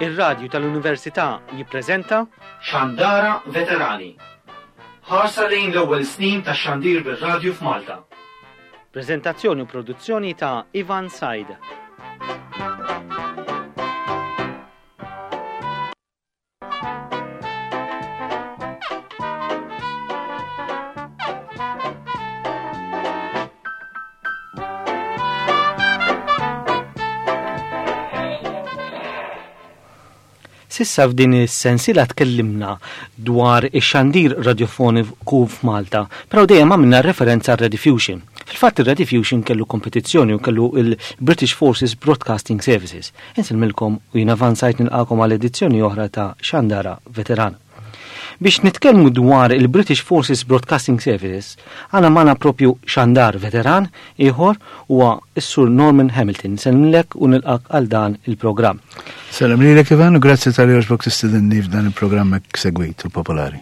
Ir-Radju tal-Università jippreżenta Xandara Veterani. Ħarsa lejn l-ewwel snin tax-xandir bir-radju f'Malta. Preżentazzjoni u produzzjoni ta' Ivan Said. Sissa f'din is-sensiela tkellimna dwar ix-xandir radiofoniku f'Malta, però dejjem għamilna referenza għal Rediffusion. Fil-fatt ir-Rediffusion kellu kompetizzjoni u kellu il-British Forces Broadcasting Services. Insellmilkom u jien avvanzajt nilqakom għal edizzjoni oħra ta' Xandara Veteran. Biex nitkellmu dwar il-British Forces Broadcasting Services, għana magħna propju xandar veteran ieħor huwa s-Sur Norman Hamilton. Sellmilek u nilqak għal dan il-programm. Sellem lilek Ivan u grazzi tal-li għoġbok tistidinni f'dan il-programm hekk segwit u popolari.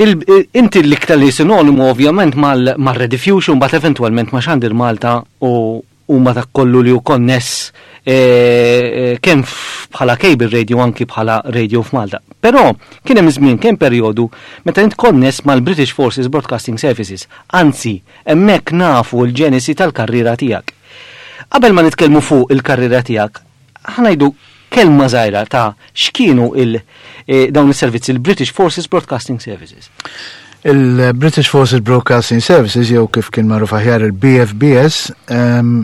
Inti l-iktar li sinonimu ovvjament mal-Rediffusion, bat eventualment ma' Xandir Malta u huma dak kollu li hu konness kemm bħala cable radio anki bħala radio f'Malta. Però kien hemm żmien, kien perjodu meta int konness mal-British Forces Broadcasting Services, anzi hemmhekk nafu l-ġenesi tal-karriera tiegħek. Qabel ma nitkellmu fuq il-karriera tiegħek, ħa ngħidu kelma żgħira ta' x'kienu il eh, dawn is-servizzi il-British Forces Broadcasting Services. Il-British Forces Broadcasting Services jew kif kien magħruf aħjar il-BFBS ehm,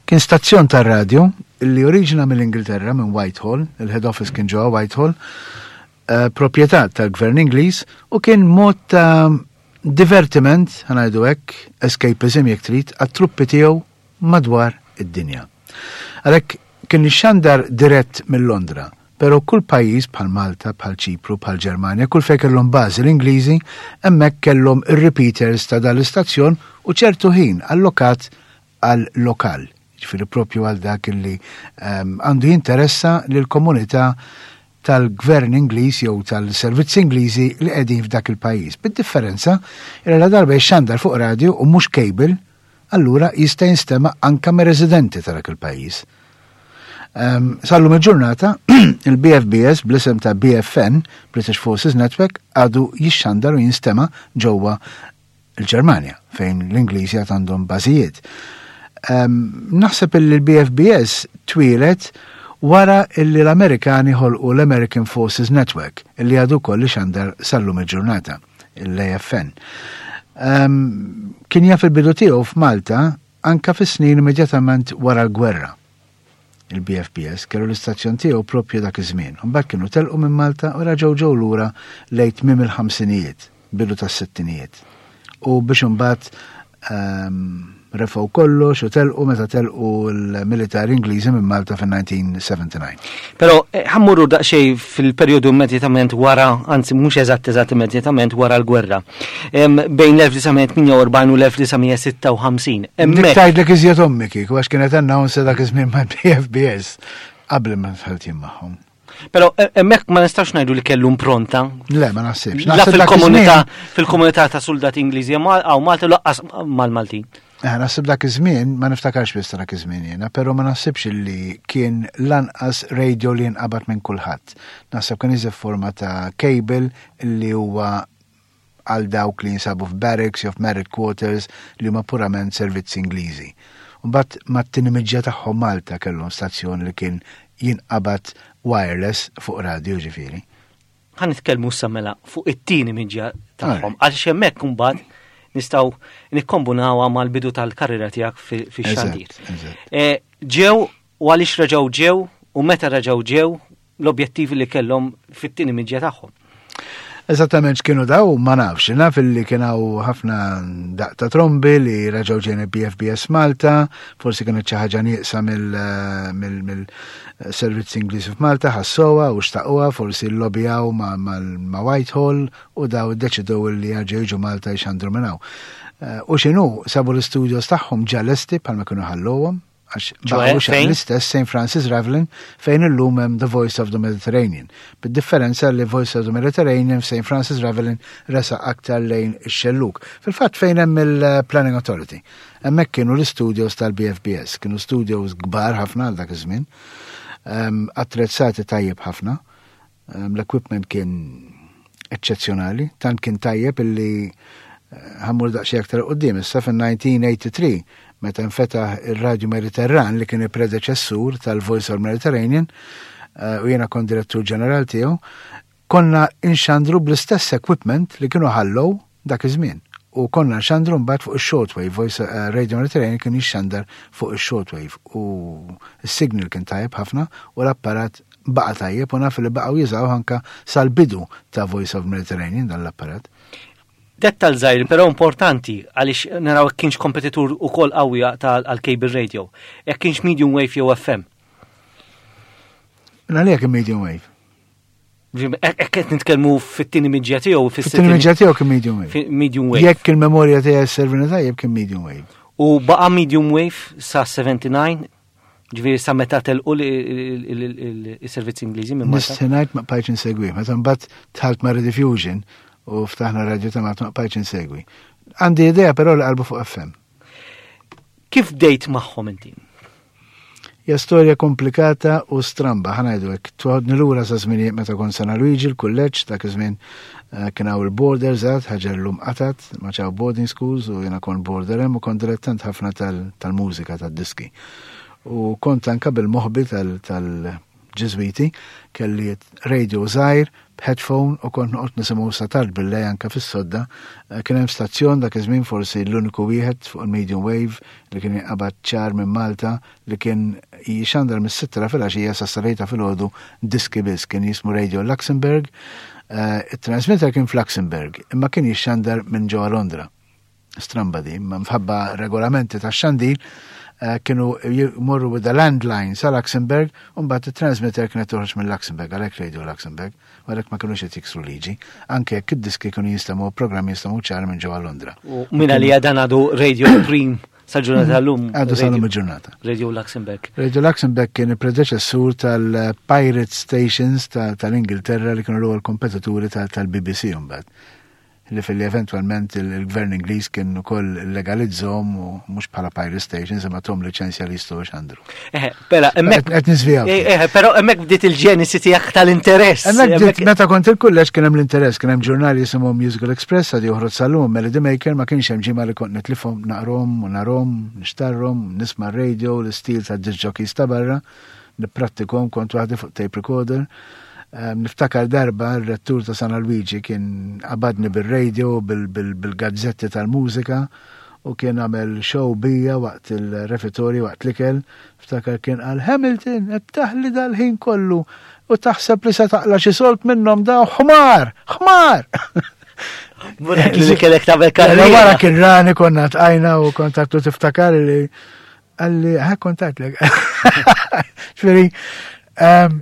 kien stazzjon tar-radju li oriġina mill-Ingilterra minn Whitehall, il-head office kien ġewwa Whitehall, eh, proprjetà tal-Gvern Ingliż u kien mod ta' divertiment, ħanajdu hekk, escapism jekk trid, għat-truppi tiegħu madwar id-dinja. Għalhekk kien ixxandar dirett minn Londra, però kull pajjiż bħal Malta, bħal Ċipru, bħal Ġermanja, kull fejn kellhom bażi l-Ingliżi, hemmhekk kellhom ir-repeaters ta' dan l-istazzjon u ċertu ħin allokat għal lokal, ġifieri propju għal dak li ehm, għandu jinteressa lill-komunità tal-gvern Ingliż jew tal-servizzi Ingliżi li qegħdin f'dak il-pajjiż. Bid-differenza li la darba jixxandar fuq radio u mhux cable, allura jista' jinstema' anka mir-residenti ta' dak il-pajjiż. Um, Sallum il-ġurnata, il-BFBS bl-isem ta' BFN, British Forces Network, għadu jixxandar u jinstema' ġewwa l-Ġermanja, fejn l-Ingliżi għad għandhom bażijiet. Um, naħseb li l-BFBS twieled wara illi l-Amerikani ħolqu l-American Forces Network, illi għadu koll xandar sallum il-ġurnata. l-AFN. Um, kien jaf il-bidu tiegħu f'Malta anka fis-snin immedjatament wara l-gwerra. Il-BFBS kellu l-istazzjon tiegħu propju dak iż-żmien. Mbagħad kienu telqu minn Malta u raġgħu ġew lura lejn tmiem il-ħamsinijiet, bidu tas-sittinijiet. U biex imbagħad um, refgħu kollox u telqu meta telqu l-militar Ingliżi minn Malta fin-1979. Però eh, ħammurru daqsxejn fil-perjodu immedjatament wara, anzi mhux eżatt eżatt immedjatament wara l-gwerra. Bejn l-1948 u l-1956. Hemmhekk tgħidlek iżjed ommi kieku għax kienet announce dak iż-żmien mal-BFBS qabel ma dħalt jien magħhom. Pero e, hemmhekk ma nistax ngħidu li kellu impronta. Le, ma naħsibx. La fil-komunità fil-komunità ta' soldati Ingliżi għaw Malta laqqas mal-Maltin. Eh, naħseb dak iż-żmien, ma niftakarx biss dak iż-żmien jiena, però ma naħsibx li kien lanqas radio li jinqabad minn kulħadd. Naħseb kien iżef forma ta' cable li huwa għal dawk li jinsabu f'barracks jew f'married quarters li huma purament servizzi Ingliżi. Mbagħad mat-tieni miġja tagħhom Malta kellhom stazzjon li kien jinqabad wireless fuq radio ġifieri. Ħa nitkellmu issa mela fuq it-tieni miġja tagħhom għaliex hemmhekk imbagħad nistgħu nikkombunawha mal-bidu tal-karriera tiegħek fix-xandir. Eh, ġew u għaliex reġgħu ġew u meta reġgħu ġew l-objettivi li kellhom fit-tieni miġja tagħhom. Eżattament x'kienu daw ma nafx, naf li kien hawn ħafna daq ta' trombi li reġgħu ġejna BFBS Malta, forsi kienet xi ħaġa nieqsa mill-servizz Ingliż f'Malta, ħassoha u xtaquha, forsi lobbyjaw ma' Whitehall u daw iddeċidew li jerġgħu jiġu Malta jxandru minn hawn. Eh, u x'inhu sabu l-istudios tagħhom ġa lesti bħalma kienu ħalluhom, għax baqgħu l-istess St. Francis Ravelin fejn illum hemm The Voice of the Mediterranean. Bid-differenza li Voice of the Mediterranean f'St. Francis Ravelin resa aktar lejn ix-xelluk. Fil-fatt fejn hemm il-Planning Authority. Hemmhekk kienu l-studios tal-BFBS, kienu studios kbar ħafna għal dak iż-żmien. Attrezzati tajjeb ħafna. L-equipment kien eċċezzjonali, tant kien tajjeb illi eh, ħa mmur daqsxejn aktar quddiem. Issa fin-1983 meta nfetaħ ir-Radju Mediterran li kien il-predeċessur tal-Voice of Mediterranean eh, u jiena kont direttur ġeneral tiegħu, konna inxandru bl-istess equipment li kienu ħallow dak iż-żmien. U konna nxandru mbagħad fuq ix-shortwave, Voice eh, Radio Mediterranean kien jixxandar fuq ix-shortwave u s-signal kien tajjeb ħafna u l-apparat baqa' tajjeb u naf li baqgħu jużaw anka sal-bidu ta' Voice of Mediterranean dan l-apparat. Dettal żgħir però importanti għaliex naraw jekk kienx kompetitur ukoll qawwi għal cable radio. Jekk kienx medium wave jew FM. Għalija kien medium wave. Hekk qed nitkellmu fit-tieni miġja tiegħu fis-tieni miġja tiegħu kien medium wave. Medium wave. Jekk il-memorja tiegħi servini tajjeb kien medium wave. U baqa' medium wave sa 79 ġifieri sa meta telqu il-servizzi Ingliżi minn Malta. Nista' ma bqajtx insegwi. Meta mbagħad dħalt ma' Rediffusion u ftaħna radio ta' Malta ma bqajtx insegwi. Għandi idea però li qalbu fuq FM. Kif bdejt magħhom inti? Hija storja komplikata u stramba, ħa ngħidu hekk. Toħodni lura sa żminijiet meta kont San Luigi l-kulleġġ, dak iż-żmien eh, kien hawn il-borders għad, ħaġa llum qatat, ma ċaw boarding schools u jiena kont border hemm u kont dilettant ħafna tal-mużika tad-diski. U kont anka bil-moħbi tal-Ġiżwiti, kelli radio żgħir b'headphone u kont noqgħod nisimgħu sa tard bil-lejl anke fis-sodda. Eh, kien hemm stazzjon dak iż-żmien forsi l-uniku wieħed fuq il-medium wave li kien jinqabad ċar minn Malta li kien jixandar mis-sitta ta' filgħaxija sa sarejta filgħodu diski biss kien jismu Radio Luxembourg. Eh, it-transmitter kien f'Luxembourg imma kien jixxandar minn ġewwa Londra. Stramba di, ma mħabba regolamenti ta' xandir eh, kienu jmorru with the landline sa Luxembourg u mbagħad it-transmitter kienet toħroġ minn Luxembourg għalhekk Radio Luxembourg u għalhekk ma kinux qed jiksru liġi anke jekk id-diski kienu jinstemgħu programmi jinstemgħu ċar minn ġewwa Londra. U minn għalija dan għadu Radio Prim sal-ġurnata tal-lum. Għadu sal-lum il-ġurnata. Radio Luxembourg. Radio Luxembourg kien il-predeċessur tal-Pirate Stations tal-Ingilterra li kienu l-ewwel kompetituri tal-BBC mbagħad. Li filli eventwalment il-gvern Ingliż kien ukoll legalizzhom u mhux bħala pirate stations imma thom liċenzja li jistgħu jxandru. Eh, pera, hemmhekk qed niżvijaw. Eh, eh, però hemmhekk bdiet il-ġenisi tiegħek tal-interess. Hemmhekk bdiet meta kont il-kulleġġ kien hemm l-interess, kien hemm ġurnali jisimhom Musical Express għad joħroġ sal-lum Melody Maker ma kienx hemm ġimgħa li kont nitlifhom naqrom u narhom, nixtarhom, nisma' radio, l-istil ta' disc jockeys ta' barra. Nipprattikhom kont waħdi fuq tape recorder. Ehm, niftakar darba r-rettur ta' San Luigi kien qabadni bil-radio, bil-gazzetti tal-mużika u kien għamel show bija waqt il-refitorju waqt l-ikel. Ftakar kien qal Hamilton, qed taħli dal-ħin kollu u taħseb li se taqla xi solt minnhom da ħmar, ħmar. Li kellek tagħmel karriera. Wara kien rani konna tqajna u kontattu tiftakar li Għalli, ħa kontatlek. Ġifieri, ehm,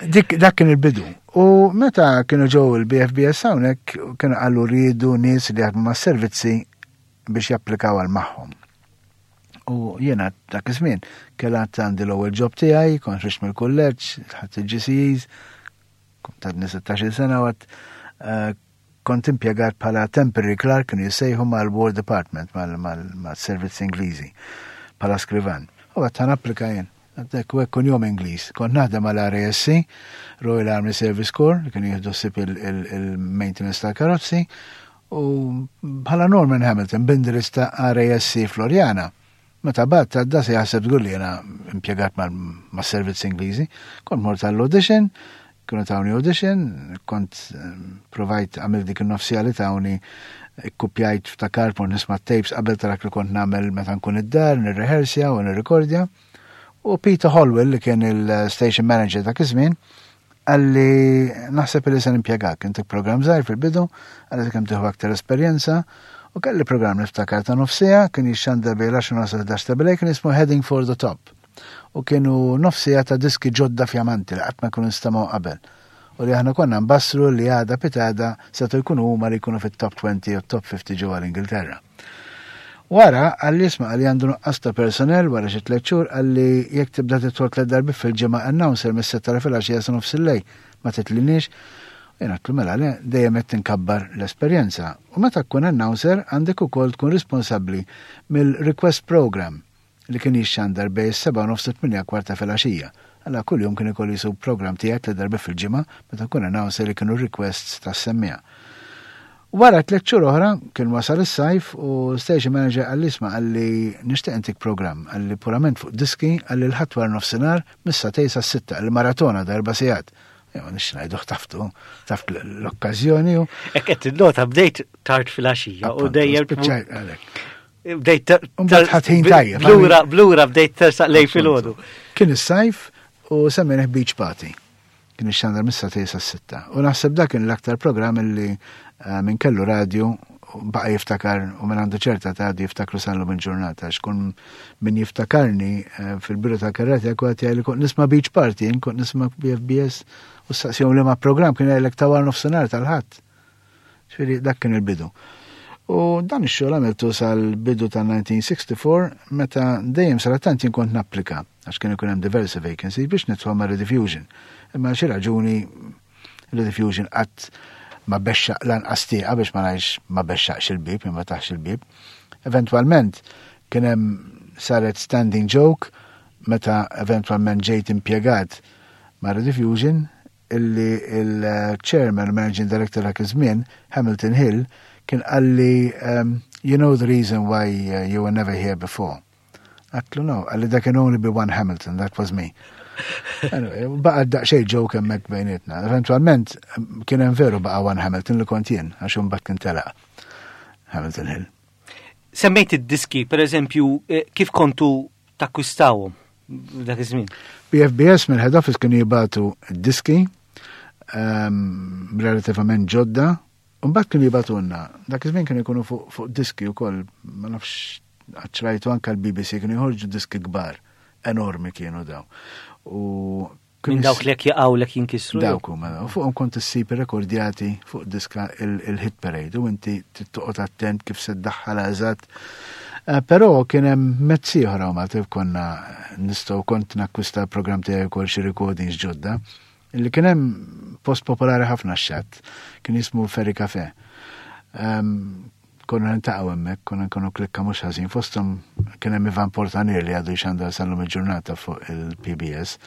dik dak kien il-bidu. U meta kienu ġew il-BFBS hawnhekk kienu qalu rridu nies li jaħdmu mas-servizzi biex japplikaw għal magħhom. U jiena dak iż-żmien kellat għandi l-ewwel job tiegħi, kont ħriġt mill-kulleġġ, ħadt il-GCEs, kont għadni 16 sena u għad eh, Kont impjegat bħala temporary clerk kienu jissejħu mal-War Department, mal-servizzi Ingliżi, bħala skrivan. U għedt ħa napplika jien. Għedt u hekk kunjom Ingliż. Kont naħdem mal-RASC, Royal Army Service Corps, li kienu jieħdu ħsieb il-maintenance tal-karozzi, u bħala Norman Hamilton, b'indirizz ta' RASC Floriana. Meta bgħatt għadda se jaħseb żgur li jiena impjegat mas-servizzi Ingliżi. Kont mort għall-audition, kienu tawni audition, kont eh, provajt għamil dik il-nofsija li tawni, ikkupjajt ftakar mort nisma' tapes qabel ta' dak li kont nagħmel meta nkun id-dar, nirrehersja u nirrikordja. U Peter Holwell li kien il-station manager dak iż-żmien, Qalli naħseb li se nimpjegak, intik programm żgħir fil-bidu, qalli kemm tieħu aktar esperjenza, u kelli programm niftakar ta' nofsija, kien jixxandar bejn l-10 nofs 11 ta' bilej, kien jismu Heading for the Top. U kienu nofsija ta' diski ġodda fjamanti li qatt ma kienu nstemgħu qabel. U li aħna konna nbassru li għada pitada setgħu jkunu huma li jkunu fit-top 20 u top 50 ġewwa l-Ingilterra. Wara, qalli isma' qalli għandu nuqqas ta' personnel wara xi tlett xhur qalli jekk tibda tidħol tlett darbiet fil-ġimgħa announcer mis-sitta ta' filgħaxija sa nofs il-lejl ma titlinniex. U jien għedtlu mela le, dejjem qed tinkabbar l-esperjenza. U meta tkun announcer għandek ukoll tkun responsabbli mill-request program. li kien jixxandar bejn is-sebgħa u nofs u t-tmienja kwart ta' filgħaxija. Alla kuljum kien ikollu jsuq programm tiegħek tliet darbiet fil-ġimgħa meta nkun announcer li kienu r-requests tas-semmiegħa. Wara tliet xhur oħra kien wasal is-sajf u station manager qalli isma' qalli nixtieq intik programm qalli purament fuq diski qalli l-Ħadd wara nofsinhar mis-sagħtejn sas-sitta qalli maratona ta' erba' sigħat. Ma nix ngħidu ħtaftu, taft l-okkażjoni u. Hekk qed tinnota bdejt tard filgħaxija u dejjem. Bdejt ħadd tajjeb. Blura, blura bdejt tersaq lej filgħodu. Kien is-sajf u semmejnih Beach Party. Kien ixxandar mis-sagħtejn sas-sitta. U naħseb dak kien l-aktar programm illi eh, minn kellu radju baqa jiftakar u minn għandu ċerta ta' għadu jiftakru sal-lum il-ġurnata. Xkun min jiftakarni eh, fil-biru ta' karrati għak għati li kont nisma Beach Party, kont nisma BFBS u staqsijom li ma program kien għalek ta' war nofsenar tal-ħadd. Ġifieri dak kien il-bidu. U dan ix-xogħol għamiltu sal-bidu tal-1964 meta dejjem sarattant jien kont napplika għax kien ikun hemm diversi vacancies biex nidħol ma' Rediffusion. Imma xi raġuni Rediffusion qatt ma bexxaq lanqas tieqa biex ma ngħidx ma bexxaqx il-bieb, ma taħx il-bieb. Eventwalment kien hemm saret standing joke meta eventwalment ġejt impjegat ma' Rediffusion illi il-chairman u managing director dak iż-żmien, Hamilton Hill, kien qalli um, you know the reason why uh, you were never here before. Għatlu no, qalli there can only be one Hamilton, that was me. Anyway, baqa daqxej joke hemmhekk bejnietna. Eventualment kien hemm veru baqa one Hamilton li kont jien, għax imbagħad kien telaq Hamilton Hill. Semmejt id-diski, per eżempju, eh, kif kontu takkwistawhom dak iż-żmien? BFBS mill-head office kienu jibatu diski um, relativament ġodda, u mbagħad kienu jibatunna. Dak iż-żmien kienu jkunu fuq fu diski wkoll, ma nafx ċrajtu anke l-BBC kienu jħorġu diski kbar, enormi kienu daw. U Minn dawk li jaqgħu lek jinkisru. Dawk huma u fuqhom kont issib irrekordjati fuq diska il-hit parade u inti toqgħod attent kif se ddaħħal eżatt. Eh, però kien hemm mezz ieħor hawn Malta konna nistgħu kont nakkwista l-programm tiegħi wkoll xi recordings ġodda. Li kien hemm post popolari ħafna x-xatt, kien jismu Ferry Cafe. Ehm, Konna niltaqgħu hemmhekk, konna nkunu klikka mhux ħażin. Fosthom kien hemm Ivan Portanier li għadu jxandar sal-lum il-ġurnata fuq il-PBS.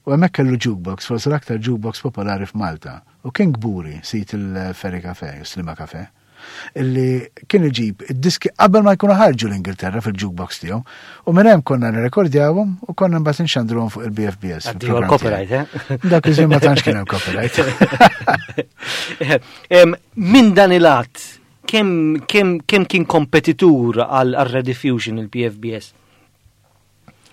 U hemmhekk kellu jukebox, forsi l-aktar jukebox popolari f'Malta. U kien kburi sit il-Ferry Cafe, Slima Cafe, illi kien iġib id-diski qabel ma jkunu ħarġu l-Ingilterra fil-jukebox tiegħu. U minn hemm konna nirrekordjawhom u konna mbagħad inxandruhom fuq il-BFBS. Addio l-copyright, eh? Dak iż-żmien ma tantx kien hemm copyright. Minn dan il-att Kemm kemm kemm kien kompetitur għal Rediffusion il-PFBS?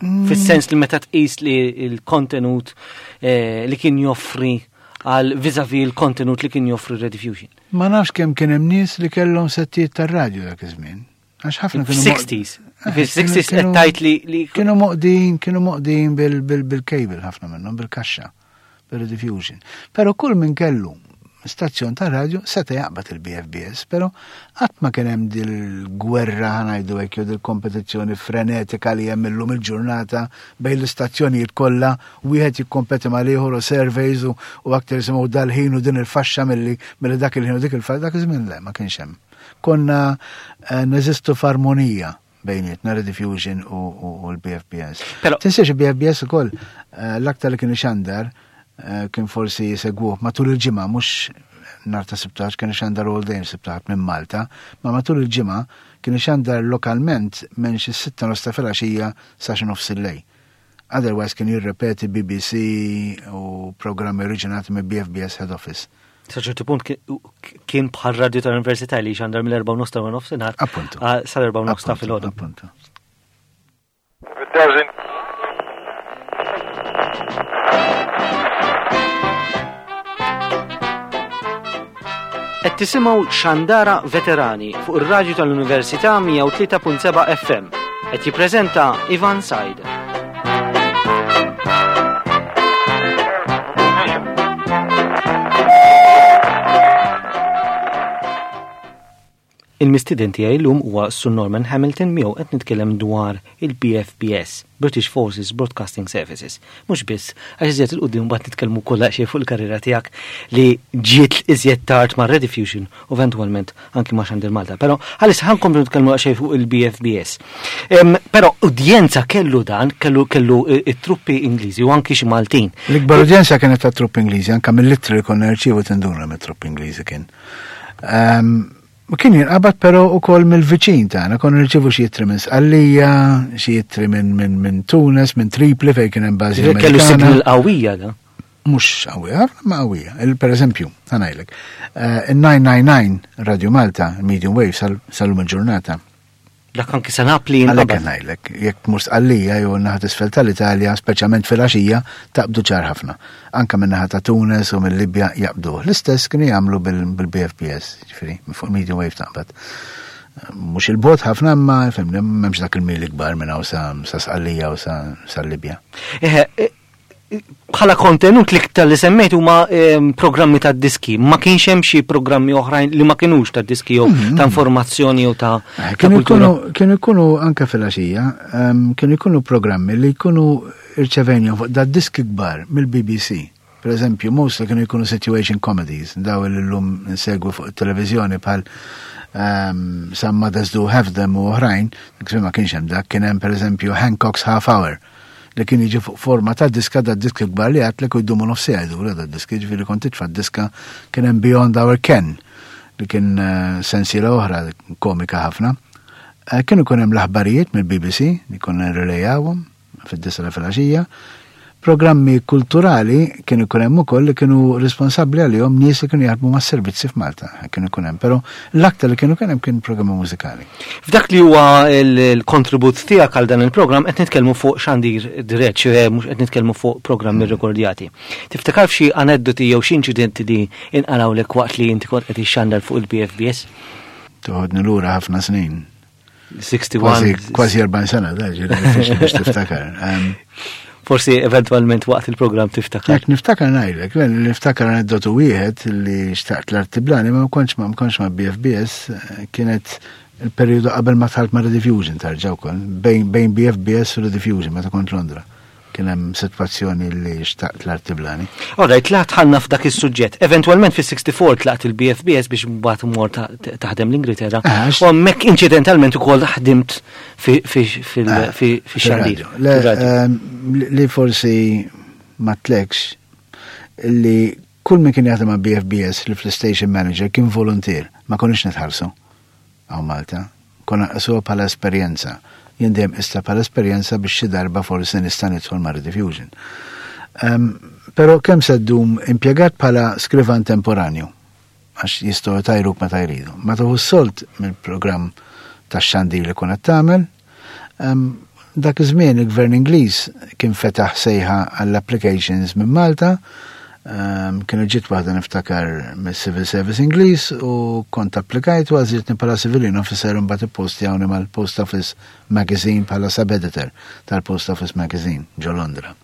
Mm. Fis-sens li meta tqis li l-kontenut eh, li kien joffri għal vizavi l-kontenut li kien joffri Rediffusion. Ma nafx kemm kien hemm nies li kellhom settijiet tar-radju dak iż-żmien. Għax ħafna kienu. 60s. Fis-60s qed tgħid li kienu moqdin, kienu moqdin bil-cable ħafna minnhom bil-kaxxa. Bir-rediffusion. Pero kull min kellu stazzjon ta' radju seta' jaqbad il-BFBS, pero qatt ma kien hemm dil-gwerra ħanajdu hekk jew dil-kompetizzjoni frenetika li hemm illum il-ġurnata bejn l-istazzjonijiet kollha wieħed jikkompeti mal-ieħor u surveys u, u aktar jisimgħu dal-ħin u din il-faxxa milli milli dak il-ħin u dik il-faxxa dak iż-żmien le ma kienx hemm. Konna eh, neżistu f'armonija bejnietna Rediffusion u l-BFBS. Tinsiex il-BFBS ukoll eh, l-aktar li kien ixandar eh, kien forsi jsegwuh matul il-ġimgħa mhux nar ta' sibtax kien ixandar all day sibtax minn Malta, ma matul il-ġimgħa kien ixandar lokalment minn xi sitta nofs ta' filgħaxija sa xi nofs il-lejl. Otherwise kien jirrepeti BBC u programmi oriġinati minn BFBS Head Office. Sa ċertu punt kien bħal radju tal-Università li xandar mill-4 nofs ta' nofsinhar. Appuntu. Sal-4 nofs ta' filgħodu. Appuntu. Qed tisimgħu Xandara Veterani fuq ir-radju tal-Università 103.7 FM. Qed jippreżenta Ivan Said. Il-mistieden tiegħi llum huwa Sur Norman Hamilton miegħu qed nitkellem dwar il-BFBS, British Forces Broadcasting Services. Mhux biss, għax iżjed 'il quddiem mbagħad nitkellmu wkoll daqsxejn fuq il-karriera tiegħek li ġiet iżjed tard ma' Rediffusion u eventwalment anki ma' Xandir Malta. Però għalissa ħa nkomplu nitkellmu daqsxejn fuq il-BFBS. Però udjenza kellu dan, kellu kellu it-truppi Ingliżi u anki xi Maltin. L-ikbar udjenza kienet tat-truppi Ingliżi, anke mill-ittri li konna nirċievu tinduna mit-truppi Ingliżi kien. U kien jinqabad però ukoll mill-viċin tagħna, konna nirċievu xi ittri minn Sqallija, xi ittri minn min, min Tunis, minn Tripli fejn kien hemm bażi Kellu signal qawwija da. Mhux qawwija, ma qawwija. Per eżempju, ħa ngħidlek, il-999 Radio Malta, medium wave sal-lum il-ġurnata. Dak anki sa Napli jinqabad. Għalhekk ngħidlek, jekk tmur Sqallija jew naħa t'isfel tal-Italja, speċjalment filgħaxija, taqbdu ċar ħafna. Anke min-naħa ta' Tunis u mill-Libja jaqbduh. L-istess kienu jagħmlu bil-BFBS, ġifieri, minn fuq medium wave taqbad. Mhux il-bogħod ħafna imma fimni m'hemmx dak il-mili kbar minn hawn sa Sqallija u sa Libja. Eħe, bħala kontenut l-iktar li semmejt huma ehm, programmi ta' diski. Ma kienx hemm xi programmi oħrajn li ma kinux ta' diski jew mm-hmm. ta' informazzjoni jew ta' eh, kienu jkunu kienu jkunu anke fil-għaxija, ehm, kienu jkunu programmi li jkunu irċevenjhom fuq da' diski kbar mill-BBC. Per eżempju, mostly kienu jkunu situation comedies, daw li llum nsegwu fuq it-televiżjoni bħal um, Some Mothers Do Have Them u oħrajn, ma kienx hemm dak, kien hemm per eżempju Hancock's Half Hour li kien jiġi fuq forma ta' diska da' diski kbar li għatlek u jdumu nofs siegħa jduru da' diski, ġifieri kont titfa' diska kien hemm Beyond Our Ken li kien eh, sensiela oħra komika ħafna. Eh, kien ikun hemm l-aħbarijiet mill-BBC li konna nirrelejawhom fid-disa filgħaxija. Programmi kulturali kien ikun hemm ukoll li kienu responsabbli għalihom nies li kienu jaħdmu mas-servizzi f'Malta. Kienu ikun hemm, però l-aktar li kienu kien hemm kien programmi mużikali. F'dak li huwa l-kontribut tiegħek għal dan il-programm qed nitkellmu fuq xandir dirett, ċe mhux qed nitkellmu fuq programmi mm. rrekordjati. Tiftakar f'xi aneddoti jew xi inċidenti li inqalawlek waqt li inti kont qed ixxandar fuq il-BFBS? Toħodni lura ħafna snin. 61. Kważi 40 sena, da, ġiri, biex tiftakar. Forsi eventualment waqt il-programm tiftakar. Jekk niftakar ngħidlek, niftakar aneddotu wieħed li xtaqt l-artiblani ma kontx ma kontx ma BFBS kienet il-periodu qabel ma tħalt ma Rediffusion tarġa' wkoll, bejn BFBS u Rediffusion meta kont Londra. Kien hemm sitwazzjoni li xtaqt l-artiblani. All right, tlaqt ħalna f'dak is-suġġett. Eventwalment fis-64 tlaqt il-BFBS biex mbagħad mort taħdem l-Ingilterra. Ah, u hemmhekk inċidentalment ukoll ħdimt fix-xandir. Ah, ehm, li forsi ma tlekx li kull min kien jaħdem ma' BFBS li fl-station manager kien volunteer, ma konniex nitħallsu. Hawn Malta. Konna nqisuha bħala esperjenza. Jien dejjem qistha bħala esperjenza biex xi darba forsi nista' nidħol ma' Rediffusion. Um, pero kemm se ddum impjegat bħala skrivan temporanju għax jistgħu tajruk meta jridu. Ma tieħu s-sold mill-programm tax-xandir li kun qed tagħmel, Dak iż-żmien il-Gvern Ingliż kien fetaħ sejħa għall-applications minn Malta, kienu ġiet waħda niftakar mis-Civil Service Ingliż u kont applikajt u għażiltni bħala civilian officer u mbagħad ippostjawni mal-Post Office Magazine bħala sub-editor tal-Post Office Magazine ġo Londra.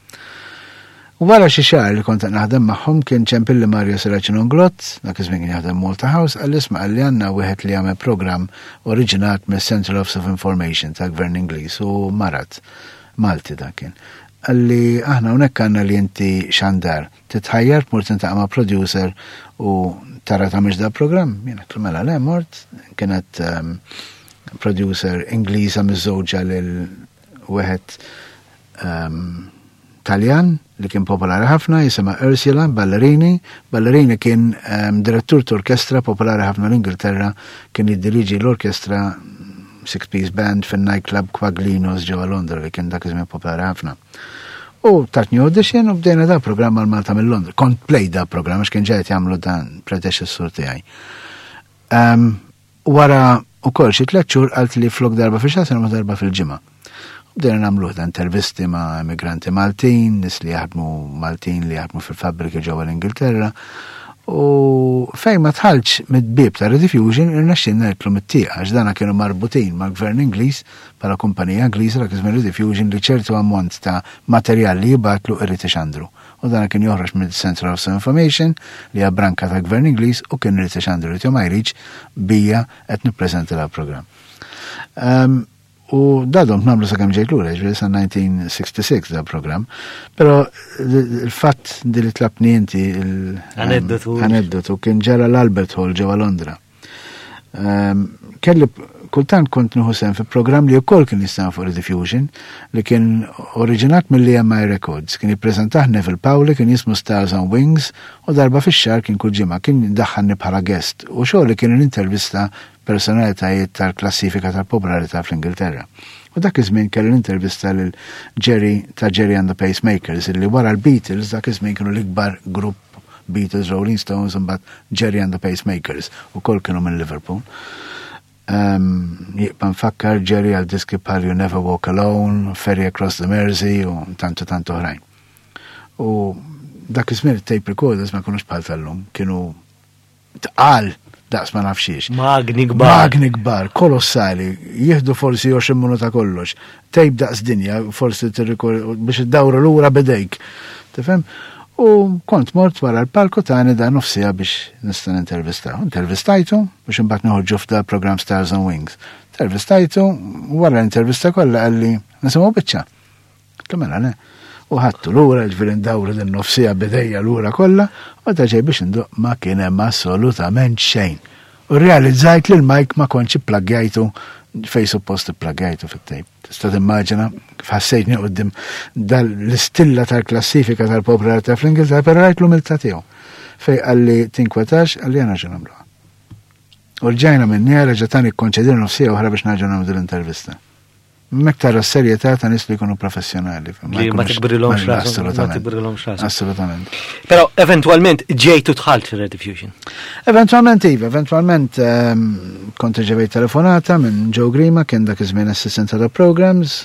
Wara xi xahar li kont qed naħdem magħhom kien ċempilli Mario Serracino Inglott, dak iż-żmien kien jaħdem Malta House, qalli isma' qalli għandna wieħed li jagħmel programm oriġinat mis-Central Office of Information tal-Gvern Ingliż u marad. Malti dak kien. Qalli aħna hawnhekk għandna li inti xandar, titħajjar tmur tintaqa' ma' producer u tara tagħmilx da programm. Jien għedtlu mela le mort, kienet ehm, producer Ingliża miżżewġa lil wieħed ehm, Taljan li kien popolari ħafna jisimha Ursula Ballerini. Ballerini kien ehm, direttur t'orkestra popolari ħafna l-Ingilterra, kien jiddiriġi l-orkestra six piece band fin-nightclub Quaglinos ġewwa Londra li kien dak iż-żmien popolari ħafna. U tatni audition u bdejna da programm għal Malta mill-Londra. Kont play da programm għax kien ġejt jagħmlu dan predeċessur tiegħi. Ehm, Wara wkoll xi tlett xhur qaltli flok darba fix-xahar se nagħmlu darba fil-ġimgħa. U bdejna nagħmluh dan intervisti ma' immigranti Maltin, nies li jaħdmu Maltin li jaħdmu fil-fabbriki ġewwa l-Ingilterra. U fejn ma tħalċ mid-bieb ta' Rediffusion irnexxinna nidħlu mit-tieqa għax dana kienu marbutin mal-Gvern Ingliż bħala kumpanija Ingliża dak iż-żmien Rediffusion li ċertu ammont ta' materjal li jibgħatlu irid ixandru. U dana kien joħroġ mill-Central Office of Information li hija branka tal-Gvern Ingliż u kien irid ixandru irid jew ma jridx bija qed nippreżenta dal-programm. Ehm, U da domt nagħmlu sakemm ġejt lura, ġifieri sa 1966 da programm. Però il-fatt di li tlabni inti l-aneddotu aneddotu kien ġara l-Albert Hall ġewwa Londra. Ehm, kelli kultant kont nieħu sehem fi programm li wkoll kien jistana fuq Rediffusion li kien oriġinat mill-EMI Records, kien jippreżentah Neville Pauli, kien jismu Stars on Wings u darba fix-xahar kien kull ġimgħa kien daħħalni bħala guest u xogħol li kien intervista personalitajiet tal-klassifika tal-popolarità fl-Ingilterra. U dak iż-żmien kellu l-intervista lil Gerry ta' Gerry and the Pacemakers illi wara l-Beatles dak iż-żmien kienu l-ikbar grupp Beatles, Rolling Stones imbagħad Gerry and the Pacemakers ukoll kienu minn Liverpool. Um, jibqa' nfakkar Gerry għal diski bħal You Never Walk Alone, Ferry Across the Mersey u tantu tant oħrajn. U dak iż-żmien tape recorders ma kinux bħal tal-lum, kienu tqal daqs ma nafxiex. Magni kbar. Magni kbar, kolossali, jieħdu forsi 20 minuta kollox. Tejb daqs dinja, forsi biex id-dawru lura bidejk. Tifhem? U kont mort wara l-palku tani da nofsija biex nista' nintervista. Intervistajtu biex imbagħad noħorġu f'da program Stars and Wings. Intervistajtu, wara l-intervista kollha qalli nisimgħu biċċa. Għedtlu mela le. U ħadtu lura, ġifieri ndawru din nofsija bidejja lura kollha, u meta ġej biex induq ma kien hemm assolutament xejn. U rrealizzajt li l-mike ma kontx ipplaggjajtu fej suppost ipplaggjajtu fit-tejp. Tista' timmaġina kif ħassejtni qudiem l-istilla tal-klassifika tal-popolarità fl-Ingilterra, però rajt l-umiltà tiegħu. Fej qalli tinkwetax, qalli għana ġu nagħmluha. U rġajna minn reġa' tani kkonċedina nofsija oħra biex nerġgħu nagħmlu l-intervista. Mek tara s-serjetà ta' nies li jkunu professjonali. Li ma tikbrilhomx rashom. Ma tikbrilhomx rashom. Assolutament. Però eventwalment ġejtu dħalt fir-Rediffusion. Eventwalment iva, eventwalment ehm, kont ġevejt telefonata minn Joe Grima, kien dak iż-żmien assistant of programs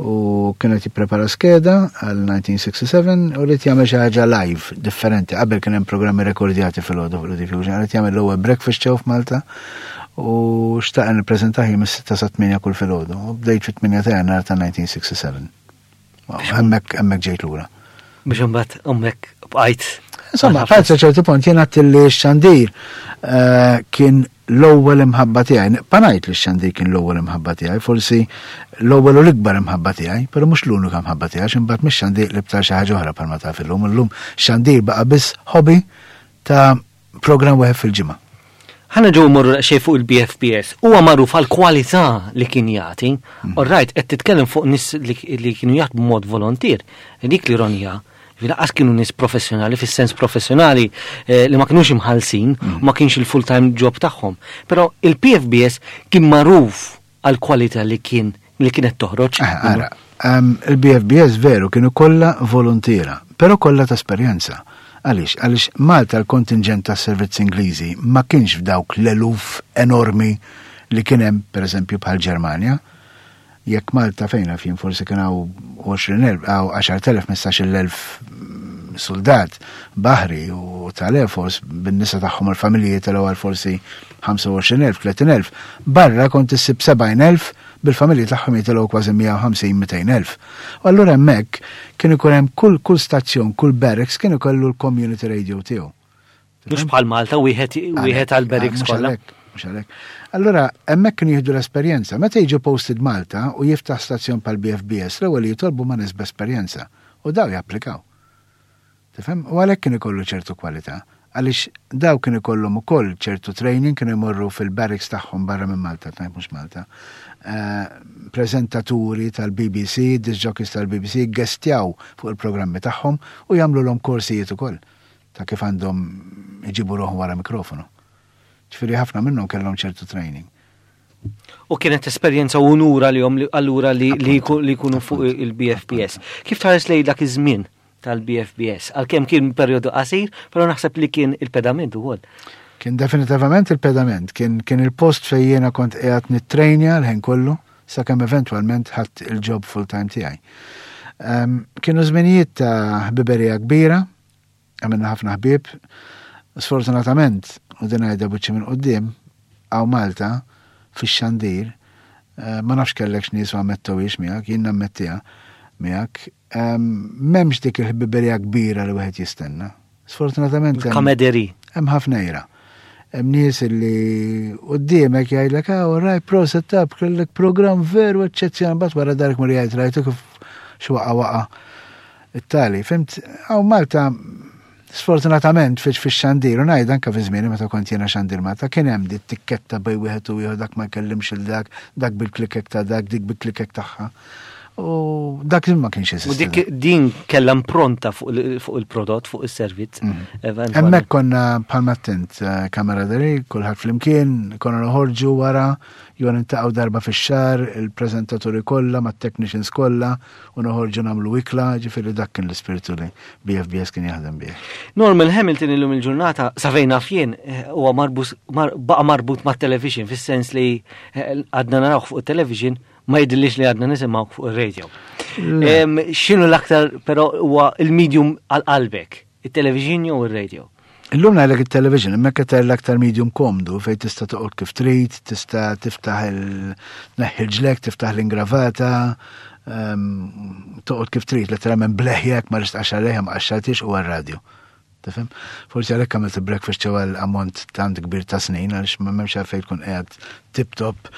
u kienet jipprepara skeda għal 1967 u rrid jagħmel xi ħaġa live differenti. Qabel kien hemm programmi rekordjati fil-għodu fuq Rediffusion, rrid jagħmel l-ewwel breakfast show f'Malta u xtaq nippreżentah jiem is-sitta sa tmienja kull filgħodu. U bdejt fit-8 ta' Jannar ta' 1967. Hemmhekk hemmhekk ġejt lura. Biex imbagħad hemmhekk bqajt. Insomma, bqajt sa ċertu punt jien għadt li x-xandir eh, kien l-ewwel imħabba tiegħi. Nibqa' ngħid li x-xandir kien l-ewwel imħabba tiegħi, forsi l-ewwel u l-ikbar imħabba tiegħi, però mhux l-unika mħabba tiegħi, għax imbagħad mix-xandir li btar xi ħaġa oħra bħalma taf illum. Illum xandir baqa' biss hobby ta' Programm wieħed fil-ġimgħa. Ħa nerġgħu mmorru daqsxejn fuq il-BFBS. Huwa magħruf għall-kwalità li kien jagħti. Mm. All right, qed titkellem fuq nies li kienu jaħdmu mod volontier. Dik l-ironija. Laqas kienu nies professjonali, fis-sens professjonali eh, li ma kinux imħallsin, mm. ma kienx il-full-time job tagħhom. Però il-PFBS kien magħruf għall-kwalità li kien li kienet toħroġ. Eh, ara, ehm, il-BFBS veru kienu kollha volontiera, però kollha ta' esperjenza. Għaliex? Għaliex Malta l-kontingent tas servizz Ingliżi ma kienx f'dawk l-eluf enormi li kien hemm pereżempju bħal Ġermanja. Jekk Malta fejn naf jien forsi kien hawn 20,000 hawn 10,000 15,000 soldat baħri u tal-Air Force bin-nisa tagħhom il-familji telgħu għal forsi 25,000, 30,000. Barra kont issib 70,000 bil-familji tagħhom jitilgħu kważi 150-200,000. U allura hemmhekk kien ikun hemm kull kull stazzjon, kull barracks kien ikollu l-community radio tiegħu. Mhux bħal Malta wieħed wieħed għal barracks kollha. Mhux għalhekk. Allura hemmhekk kienu jieħdu l-esperjenza. Meta jiġu posted Malta u jiftaħ stazzjon bħal BFBS, l-ewwel jitolbu ma' nies b'esperjenza u daw japplikaw. Tifhem? U għalhekk kien ikollu ċertu kwalità. Għaliex daw kien ikollhom ukoll ċertu training, kienu jmorru fil-barracks tagħhom barra minn Malta, tnajt mhux Malta. Eh, preżentaturi tal-BBC, disc jockeys tal-BBC, gestjaw fuq il-programmi tagħhom u jagħmluhom korsijiet ukoll ta' kif għandhom iġibu ruħhom wara mikrofonu. Ġifieri ħafna minnhom kellhom ċertu training. U kienet esperjenza u unura li jom allura li jkunu fuq il-BFBS. Kif tħares lej dak iż-żmien tal-BFBS? Għalkemm kien perjodu qasir, però naħseb li kien il-pedament ukoll. Kien definitivament il-pedament, kien, kien il-post fejn jiena kont qiegħed nittrejnja l-ħin kollu sakemm eventwalment ħadd il-job full-time tiegħi. Um, kienu żminijiet ta' ħbiberija kbira, għamilna ħafna ħbieb. Sfortunatament, u din ngħidha buċċi minn quddiem, hawn Malta, fix-xandir, eh, ma nafx kellek x'nies u ammettowiex miegħek, jien nammettiha miegħek, ehm, m'hemmx dik il-ħbiberija kbira li wieħed jistenna. Sfortunatament. Kamederi. Hemm ħafna ira. Hemm nies li quddiemek jgħidlek, ah, all right, proset tab, kellek programm veru eċċezzjonali, mbagħad wara darek mur jgħid rajtu kif x'waqa' waqa' it-tali. Fimt, hawn Malta Sfortunatament fiex fix-xandir, u ngħid anke fi żmieni meta kont jiena xandir Malta, kien hemm di tikketta bej wieħed u ieħor dak ma jkellimx il dak, dak bil-klikek ta' dak, dik bil-klikek tagħha. U dak ma kienx jeżisti. U dik din kellha impronta fuq il-prodott, fuq is-servizz. Mm. Hemmhekk konna bħalma attent eh, kamaraderie, kulħadd flimkien, konna noħorġu wara, jew nintaqgħu darba fix-xahar, il-preżentaturi kollha mat-technicians kollha, u noħorġu nagħmlu ikla, ġifieri dak kien l-ispirtu li BFBS kien jaħdem bih. Norman Hamilton illum il-ġurnata sa fejn naf jien eh, huwa baqa' marbut mat-television fis-sens li eh, għadna narawh fuq it-television ma jidhirlix li għadna nisimgħu fuq ir-radio. X'inhu l-aktar però huwa il-medium għal qalbek, it-television jew ir-radio? Illum ngħidlek it-television, imma qed l-aktar medium komdu fejn tista' toqgħod kif trid, tista' tiftaħ il ġlek, tiftaħ l-ingravata, toqgħod kif trid, letteralment bleħjek ma ristqax għalih ma qaxxartix u għar-radio. Tifhem? Forsi għalhekk għamilt il-breakfast show għal ammont tant kbir ta' snin għaliex ma m'hemmx għalfejn tkun qiegħed tip top,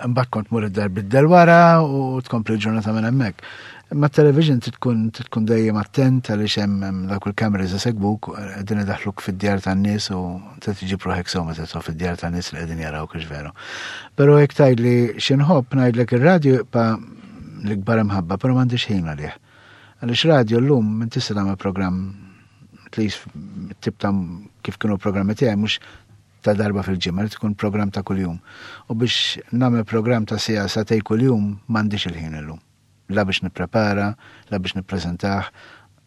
imbagħad kont mur id-dar biddel wara u tkompli l-ġurnata minn hemmhekk. Imma television trid tkun trid tkun dejjem attent għaliex hemm dawk il-cameras isegwuk qegħdin idaħħluk fid-djar tan-nies u trid tiġib ruħek sew meta tidħol fid-djar tan-nies li qegħdin jarawk hux veru. Però jekk tgħidli xi nħobb ngħidlek ir-radju jibqa' l-ikbar imħabba, però m'għandix ħin għalih. Għaliex radio llum minn tista' tagħmel programm at least tip ta' kif kienu programmi tiegħi mhux ta' darba fil-ġimgħa, li tkun programm ta' kuljum. U biex nagħmel programm ta' siegħa sagħtejn kuljum m'għandix il-ħin illum. La biex nipprepara, la biex nippreżentah,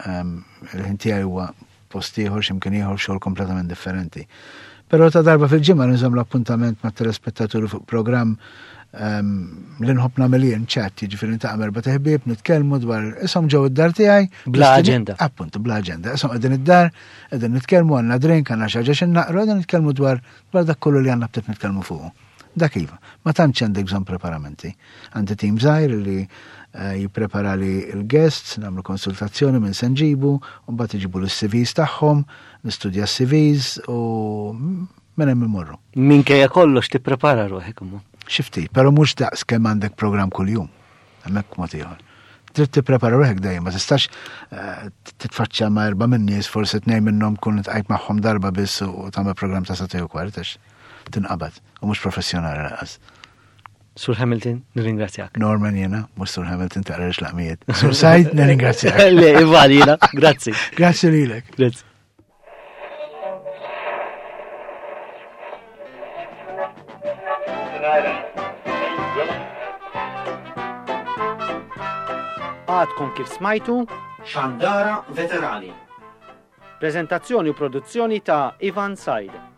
ehm, il-ħin tiegħi huwa post ieħor x'imkien ieħor xogħol kompletament differenti. Però ta' darba fil-ġimgħa nżomm l-appuntament mat-telespettaturi fuq programm ehm, li nħobb nagħmel jien chat, jiġifieri niltaqa' erba' teħbieb, nitkellmu dwar ishom ġew id-dar tiegħi. Bla aġenda. Appuntu, bla aġenda. Ishom qegħdin id-dar, qegħdin nitkellmu għandna drink, għandna xi ħaġa xi naqru, qegħdin nitkellmu dwar dwar dak kollu li għandna btiet nitkellmu fuqu. Dak iva, ma tantx għandek bżonn preparamenti. Għandi tim żgħir li eh, jipprepara li l-guests, nagħmlu konsultazzjoni minn se nġibu, u mbagħad iġibu l-CVs tagħhom, nistudja s-CVs u minn hemm imorru. Minkejja kollox tipprepara ruħek imma. Xi ftit, però mhux daqs kemm għandek programm kuljum. Hemmhekk mod ieħor. Trid tipprepara ruħek dejjem, ma tistax eh, titfaċċja ma' erba' minn nies, forsi tnejn minnhom kun tqajt magħhom darba biss u tagħmel programm ta' sagħtejn u kwart għax tinqabad u mhux professjonali lanqas. Sur Hamilton, nirringrazzjak. Norman jena, mhux Sur Hamilton taqra laqmijiet. Sur Said, nirringrazzjak. Le, Ivan jena, grazzi. Grazzi lilek. Grazzi. Għadkom kif smajtu Xandara Veterani. Prezentazzjoni u produzzjoni ta' Ivan Said.